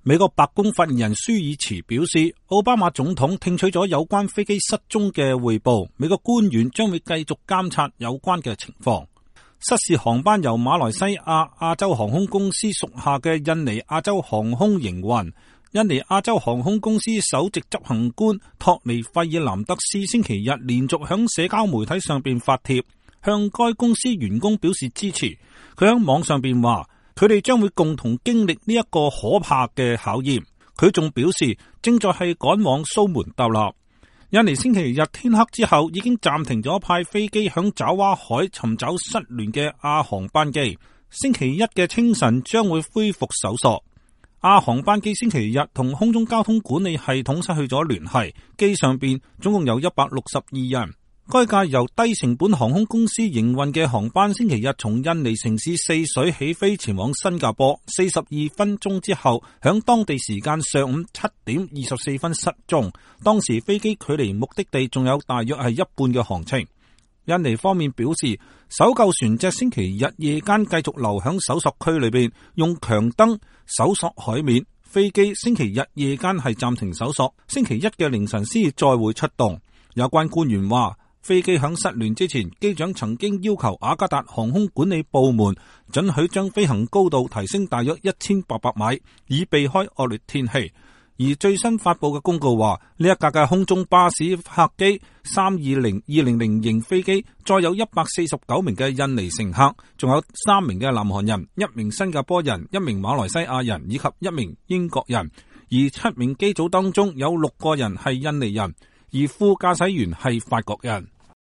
美國白宮發言人舒爾茨表示，奧巴馬總統聽取咗有關飛機失蹤嘅匯報，美國官員將會繼續監察有關嘅情況。失事航班由馬來西亞亞洲航空公司屬下嘅印尼亞洲航空營運。印尼亞洲航空公司首席執行官托尼費爾南德斯星期日連續響社交媒體上邊發帖，向該公司員工表示支持。佢響網上邊話，佢哋將會共同經歷呢一個可怕嘅考驗。佢仲表示，正在係趕往蘇門答臘。印尼星期日天黑之後已經暫停咗派飛機響爪哇海尋找失聯嘅亞航班機，星期一嘅清晨將會恢復搜索。亞航班機星期日同空中交通管理系統失去咗聯繫，機上邊總共有162人。該架由低成本航空公司營運嘅航班星期日從印尼城市泗水起飛前往新加坡，42分鐘之後響當地時間上午7點24分失蹤。當時飛機距離目的地仲有大約係一半嘅航程。印尼方面表示，搜救船隻星期日夜間繼續留響搜索區裏邊，用強燈搜索海面。飛機星期日夜間係暫停搜索，星期一嘅凌晨先再會出動。有關官員話，飛機響失聯之前，機長曾經要求雅加達航空管理部門准許將飛行高度提升大約1800米，以避開惡劣天氣。而最新發佈嘅公告話，呢一架嘅空中巴士客機320-200型飛機載有149名嘅印尼乘客，仲有3名嘅南韓人、1名新加坡人、1名馬來西亞人以及1名英國人。而7名機組當中有6個人係印尼人，而副駕駛員係法國人。